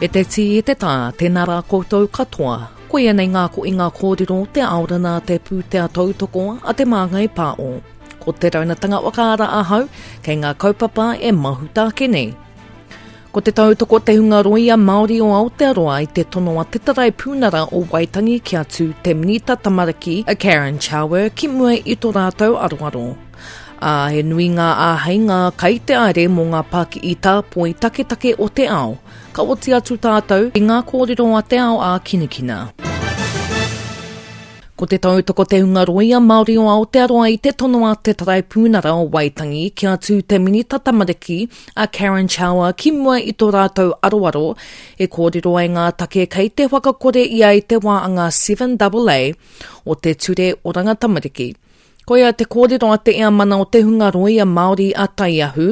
E te tī, e te tā, tēnā rā koutou katoa. Koia nei ngā koinga kōrero o te aorana te pūtea tautoko a Te Māngai Pāo. Ko te raunatanga whakaara ahau kei ngā kaupapa e mahuta ake nei. Ko te tautoko te hunga rōia Māori o Aotearoa i te tono a te Taraipunara o Waitangi kia tū te Minita Tamariki a Karen Chauer ki mua i tō rātou aroaro. Ā, he nui ngā āheinga kai te aere mō ngā pākihi tāpoi taketake o te ao. Ka oti atu tātou i ngā kōrero a te ao ākinakina. Ko te tautoko te hunga rōia Māori o Aotearoa i te tono a te Taraipunara o Waitangi kia tū te Minita Tamariki a Karen Chauer ki mua i tō rātou aroaro e kōrero ai ngā take kei te whakakore ia i te wā a ngā 7AA o te Ture Oranga Tamariki. Koia te kōrero a te Eamana o te hunga rōia Māori a Taiahu,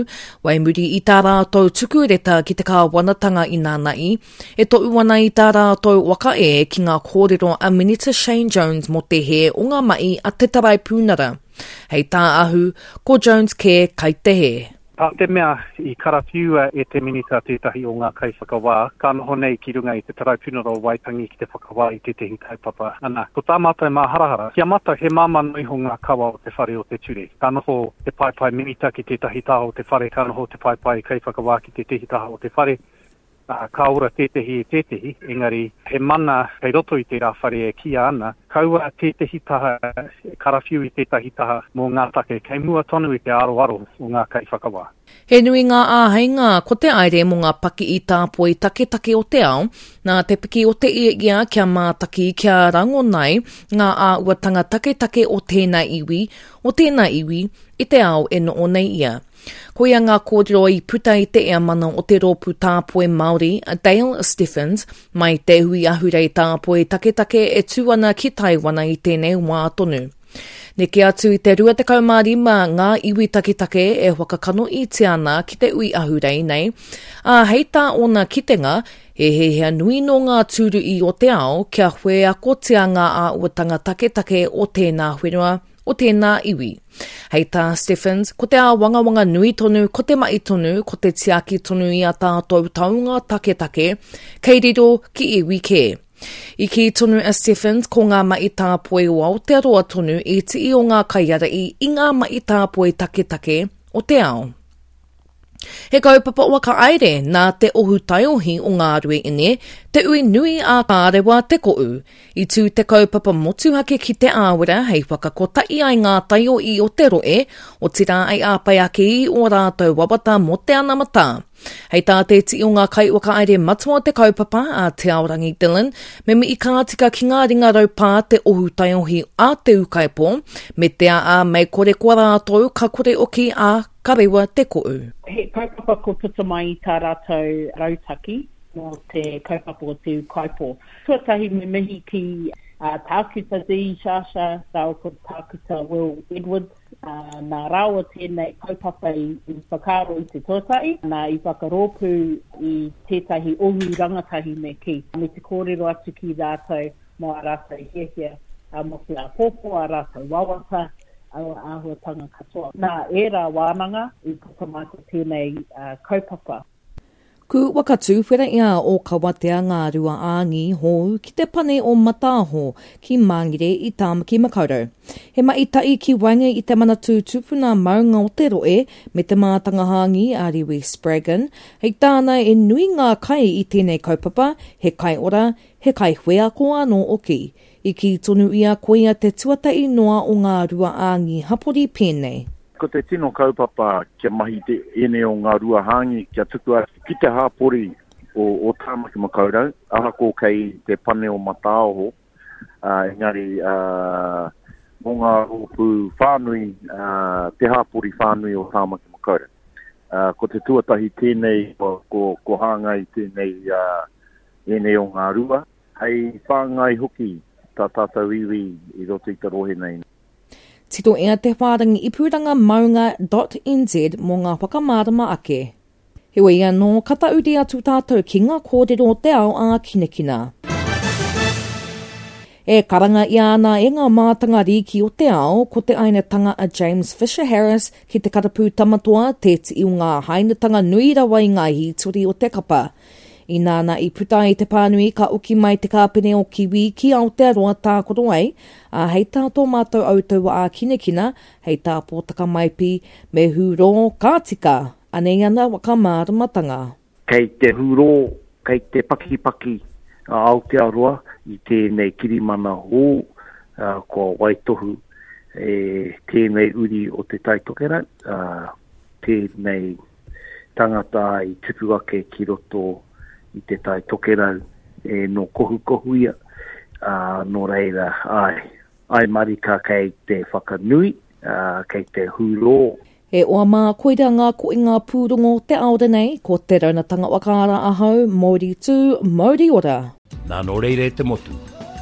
wai muri i tā rātou tuku reta ki te kāwanatanga inānaī, e tohu ana i tā rātou waka e ki ngā kōrero a Minita Shane Jones mō te hē o ngā mahi a te Taraipunara. Hei tā Ahu, ko Jones kē kai te hē. Tā te mea i karawhiua e te Minita tētahi o ngā kaiwhakawā, ka noho nei ki runga i te Taraipunara o Waitangi ki te whakawā i tētahi kaupapa. Ana, ko tā mātou māharahara, ki a mātou he māmā noa iho ngā kawa o te whare o te ture. Ka noho te paepae Minita ki tētahi taha o te whare, ka noho te paepae kaiwhakawā ki tētahi taha o te whare, ā, ka ora tētehi i tētehi, engari he mana kei roto i tērā whare e kīia ana, kaua tētehi taha e karawhiu i tētahi taha mō ngā take kei mua tonu i te aroaro o ngā kaiwhakawā. He nui ngā āheinga ko te aere mō ngā pakihi tāpoi taketake o te ao, nā te piki o te ia kia mātaki, kia rangonai ngā āhuatanga taketake o tēnā iwi, o tēnā iwi i te ao e noho nei ia. Koia ngā kōrero i puta i te eamana o te Rōpū Tāpoi Māori, a Dale Stephens, mai te hui ahurei tāpoi taketake e tū ana ki Taiwana i tēnei wā tonu. Neke atu i te 25 ngā iwi taketake e whakakanohitia ana ki te hui ahurei nei, ā, hei tā ōna kitenga, he hiahia nui nō ngā tūruhi o te ao kia wheakotia ngā āhuatanga taketake o tēnā whenua, o tēnā iwi. Hei tā Stephens, ko te āwangawanga nui tonu, ko te mahi tonu, ko te tiaki tonu i a tātou taonga taketake, kei riro ki iwi kē. I kī tonu a Stephens ko ngā mahi tāpoi o Aotearoa tonu i tii o ngā kaiārahi i ngā mahi tāpoi taketake o te ao. He kaupapa whakahaere nā te ohu taiohi o Ngāruaine, te ui nui a Kārewa Te Koʻu. I tū te kaupapa motuhake ki Te Āwera hei whakakotahi ai ngā taiohi o te rohe, otirā hei āpai ake i ō rātou wawata mō te anamata. Hei tā te iti o ngā kaiwhakahaere matua o te kaupapa, a Te Aorangi Dillon, me mihi ka tika ki ngā ringa raupā te ohu taiohi a Te Ūkaipō, me te aa mei kore koa rātou ka kore oki a Ka rewa te koʻu. He kaupapa kua puta mai i tā rātou rautaki mō te kaupapa o Te Ūkaipō. Tuatahi me mihi ki a Tākuta Dee Sciascia rāua ko Tākuta Will Edwards, nā rāua tēnei kaupapa i whakaaro i te tuatahi, nā i whakarōpū i tētahi ohu rangatahi me kī, me te kōrero atu ki rātou mō ā rātou hiahia mō te āpōpō, ā rātou wawata, aua āhuatanga katoa. Nā ērā wānanga i puta mai ko tēnei kaupapa. Ku whakatuwhera i a o Kawatea ngā Ruaāngi hou ki te pane o Mataaho ki Māngere i Tāmaki Makaurau. He mahi tahi ki waenga i te Manatū Tupuna Maunga o te Rohe me te mātanga hāngi a Rewi Spraggon. Hei tāna e nui ngā kai i tēnei kaupapa, he kai ora, He kaiwheako anō oki. I kī tonu ia koia te tuatahi noa o ngā ruaāngi hapori pēnei. Ko te tino kaupapa kia mahi te ēnei o ngā rua hāngi kia tuku atu ki te hāpori o, o Tāmaki Makaurau, ahako kei te pane o Mataaoho, engari mō ngā rōpū whānui, te hāpori whānui o Tāmaki Makaurau. Ko te tuatahi tēnei, ko, ko hāngai tēnei ēnei o ngā rua, hei whāngai hoki tā tātou iwi i roto i te rohe nei. Titoia te whārangi ipuranga maunga dot nz mō ngā whakamārama ake. Heoi anō, ka tauri atu tātou ki ngā kōrero o te ao ākinakina. E karanga ia ana e ngā mātanga rīki o te ao, ko te ainatanga a James Fisher Harris ki te karapū tamatoa, te tii o ngā hainatanga nui rawa i ngā hītori o te kapa. Ināna i puta ai te pānui ka oki mai te kāpene o Kiwi ki Aotearoa tākaro ai, ā, hei tā tō mātou autaua ā-kinakina, hei tā Pōtaka Maipi, me hūrō, ka tika! Anei ana whakamāramatanga. Kei te hūrō, kei te pakipaki a Aotearoa i tēnei kirimana hou kua waitohu e tēnei uri o Te Tai Tokerau, tēnei tangata i tupu ake ki roto i Te Tai Tokerau e nō Kohukohuia, ā, nō reira, āe, āe marika kei te whakanui, ā, kei te hūrō. E oa mā, koira ngā koinga pūrongo o te ao nei, ko Te Raunatanga Whakaara ahau, Mauri tū, mauri ora! Nā nō reira e te motu,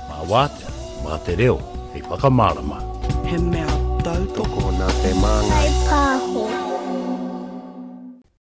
mā wātea, mā te reo hei whakamārama. He mea tautoko. Tokona te māngai.